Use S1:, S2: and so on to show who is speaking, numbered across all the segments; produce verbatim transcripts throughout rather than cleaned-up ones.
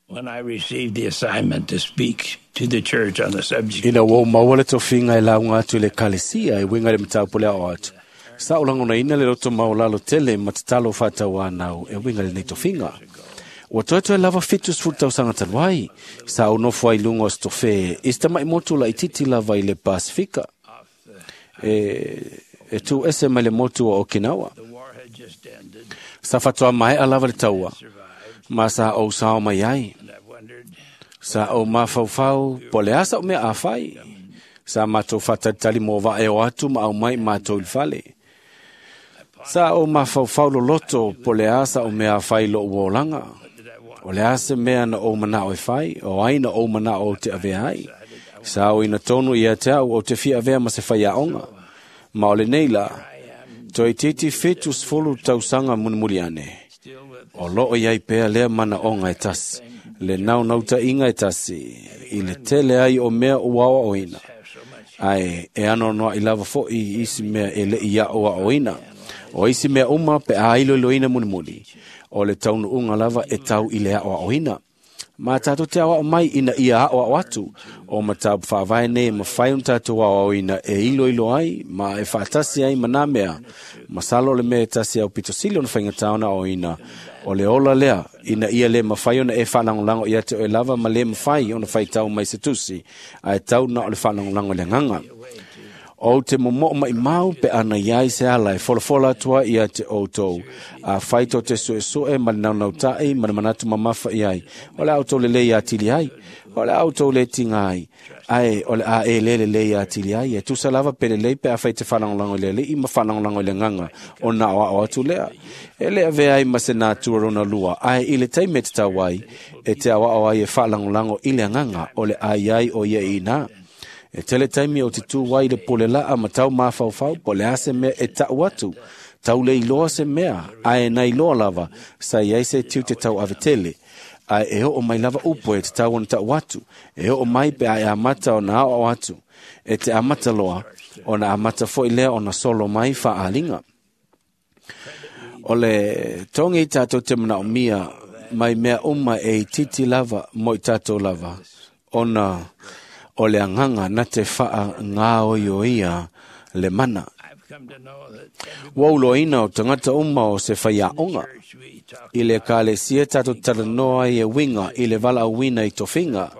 S1: When I received the assignment to speak to the church on the subject
S2: Ina ua ou maua le tofiga e lauga atu i le ekalesia e uiga i le mataupu le aoao atu. Sa ou lagonaina le loto maualalo tele ma tatalo faatauanau e uiga i lenei tofiga. Ua toetoe lava fitu sefulu tausaga talu ai, sa ou nofo ai i luga o se tofe i se tama'i motu laitiiti lava i le Pasifika, e, e tu ese mai le motu o Okinawa.
S1: the war had just ended,
S2: Sa faatoa maea lava le taua,
S1: survived,
S2: ma sa ou sao mai ai.
S1: and I wondered
S2: Sa ou mafaufau, po o le a sa'u mea a fai. Sa matou faatalitali mo vaa e o atu ma aumai matou i le fale. Sa ou mafaufau loloto po o le a sa'u mea a fai i lo'u olaga.
S1: did I want
S2: O le a se mea na ou manao e fai, o ai na ou manao ou te avea ai. Sa o ina tonu ia te au ou te fia avea ma se faiaoga. Ma o lenei la,
S1: I am
S2: toeitiiti fitu sefulu tausaga mulimuli ane.
S1: still with
S2: O loo iai pea lea manaoga e tasi, le naunautaiga e tasi, i le tele ai o mea ua aoaoina.
S1: have so much
S2: Ae e anoanoa'i lava fo'i isi mea e le'i aoaoina. O isi mea uma pe a iloiloina mulimuli, o le taunuuga lava e tau i le aoaoina. Ma tatou te aoao mai ina ia aoao atu, o mataupu faavae nei e mafai ona tatou aoaoina e iloilo ai ma e faatasi ai ma nā mea. Masalo o le mea e tasi au pito sili ona faigata ona aoaoina, o le ola lea ina ia le mafai ona e faalagolago ia te oe lava ma le mafai ona faitau mai se tusi, ae tau na o le faalagolago i le agaga. Ou te momo'o maʻimau pe ana iai se ala e folafola atu ai ia te outou. A fai tou te suesu'e ma le naunauta'i ma le manatu mamafa i ai. O le a outou lelei atili ai. O le a outou le tiga ai. Ae o le a e lē lelei atili ai. E tusa lava pe lelei pe afai te faalagolago i le Alii ma faalagolago i le agaga ona aoao atu lea. E le avea ai ma se natura lona lua, ae i le taimi e tatau ai, e te aoao ai e faalagolago i le agaga o le a iai o ia i inā. E tele taimi o te tū ai le pole laa ma tau mafaufau po o le a se mea e ta'u atu. Tau le iloa se mea, ae na iloa lava, sa iai se tiute tau avetele. Ae e oo mai lava upu e tatau ona ta'u atu. E oo mai pe a e amata ona aoao atu. E te amata loa, ona amata fo'i lea ona solo mai faaliga. O le togi tatou te manaomia mai mea uma e itiiti lava mo i tatou lava, ona o le agaga na te faagaoioia le mana.
S1: I've come to know that every
S2: Ua ou iloaina o tagata uma o se faiaoga.
S1: church we talk
S2: I le ekalesia tatou talanoa ai e uiga i le valaauina i tofiga,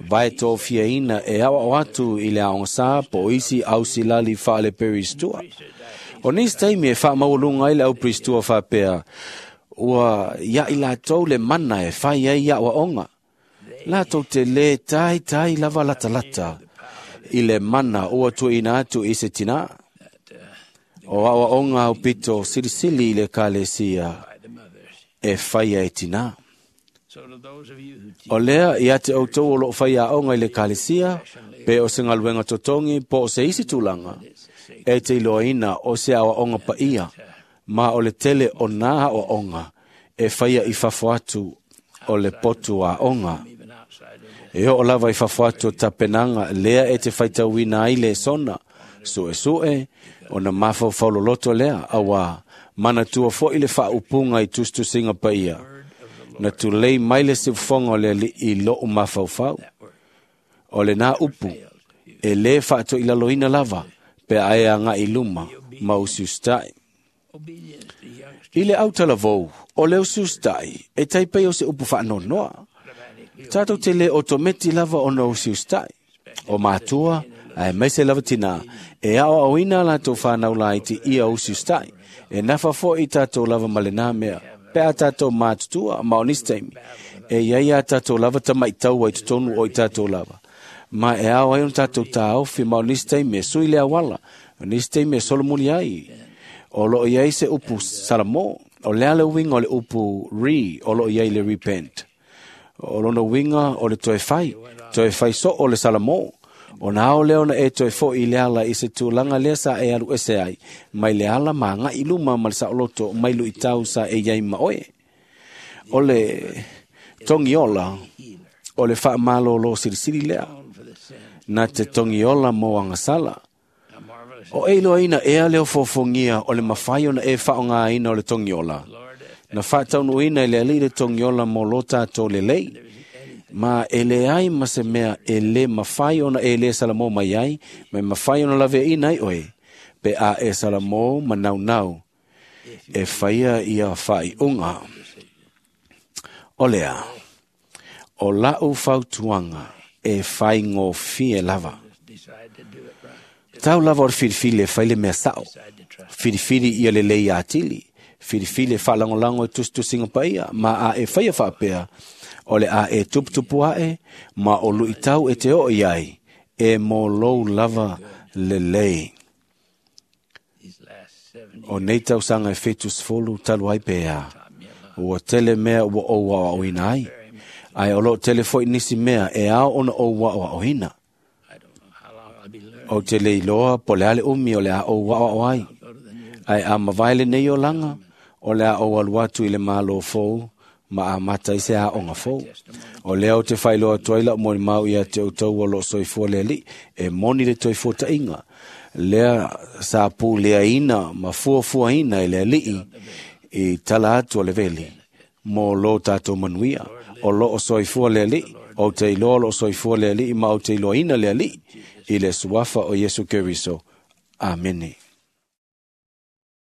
S2: vae tofiaina e aoao atu i le aogasā po o isi ausilali faale-peristua. O nisi taimi e faamaualuga ai le auperistua faapea, ua ia i latou le mana e fai ai aoaoga. Latou te lē taitai lava latalata i le mana ua tuuina atu i se tinā. O aoaoga aupito silisili i le ekalesia
S1: by the mothers.
S2: e faia e tinā.
S1: So to those of you who teach
S2: O lea ia te outou o loo faiaoga i le ekalesia, pe o se galuega totogi po o se isi tulaga, e te iloaina o se aoaoga paia, ma o le tele o nā aoaoga e faia i fafo atu o le potu aoga.
S1: even outside of the
S2: E oo lava i fafo atu o tapenaga lea e te faitauina ai lesona, su'esu'e, ona mafaufau loloto lea, auā manatua fo'i le faaupuga i tusitusiga paia. Na tulei mai le siufofoga o le Alii i lo'u mafaufau. O lenā upu, e lē faatoilaloina lava, pe a e aga'i i luma ma usiusita'i.
S1: obedience to youngsters
S2: I le autalavou, o le usiusita'i, e taipei o se upu faanoanoa.
S1: automatically
S2: Tatou te lē otometi lava ona usiusita'i. O matua, aemaise lava tinā, e aoaoina a latou fanau laiti ia usiusita'i. E nafa fo'i tatou lava ma lenā mea, pe a tatou matutua ma o nisi taimi, e iai a tatou lava tamaitaua i totonu o i tatou lava. Ma e ao ai ona tatou taofi ma o nisi taimi e sui le auala, o nisi taimi e solomuli ai. O loo iai se upu Salamo, o le a le uiga o le upu re, o loo iai le repent. O lona uiga o le toe fai, toe fai soo le Salamo. Ona ao lea ona e toe fo'i i le ala i se tulaga lea sa e alu ese ai, mai le ala ma aga'i i luma ma le saoloto mai luitau sa e iai ma oe. O le togiola, o le faamalōlō silisili lea,
S1: known for the sins.
S2: na te togiola mo agasala.
S1: How marvelous
S2: O e iloaina ea le ofoofogia o le mafai ona e faaaogāina o le togiola.
S1: Lord,
S2: Na faataunuuina e le Alii le togiola mo lo tatou lelei. Ma e leai ma se mea e lē mafai ona e lē salamō mai ai, ma e mafai ona laveaiina ai oe, pe a e salamō ma naunau e faia ia faaiuga. O lea, o la'u fautuaga e faigofie lava.
S1: Decide to do it right.
S2: Tau lava o le filifili e fai le mea sa'o.
S1: Decide to trust.
S2: Filifili ia lelei atili. Filifili e faalagolago i tusitusiga paia, ma a e faia faapea, o le a e tuputupu a'e, ma o lu'itau e te oo i ai, e mo lou lava lelei.
S1: These last seven
S2: O nei tausaga e fitusefulu talu ai pe a.
S1: taught me a lot.
S2: Ua tele mea ua ou aoaoina ai. Ae o loo tele foi nisi mea e ao ona ou aoaoina.
S1: I don't know how long I'll be learning.
S2: Ou te le iloa po o le a le umi o le a ou aoao ai.
S1: Go to the new
S2: Ae a mavae lenei olaga, o le a ou alu atu i le malo fou, ma amata i se aoga fou. O lea ou te faailoa atu ai la'u molimau ia te outou o loo soifua le Alii, e moni le toefuataiga. Lea sa puleaina ma fuafuaina e le Alii i tala atu o le veli. Mo lo tatou manuia, o loo soifua le Alii, ou te iloa o loo soifua le Alii ma ou te iloaina le Alii i le suafa o Iesu Keriso. Amene.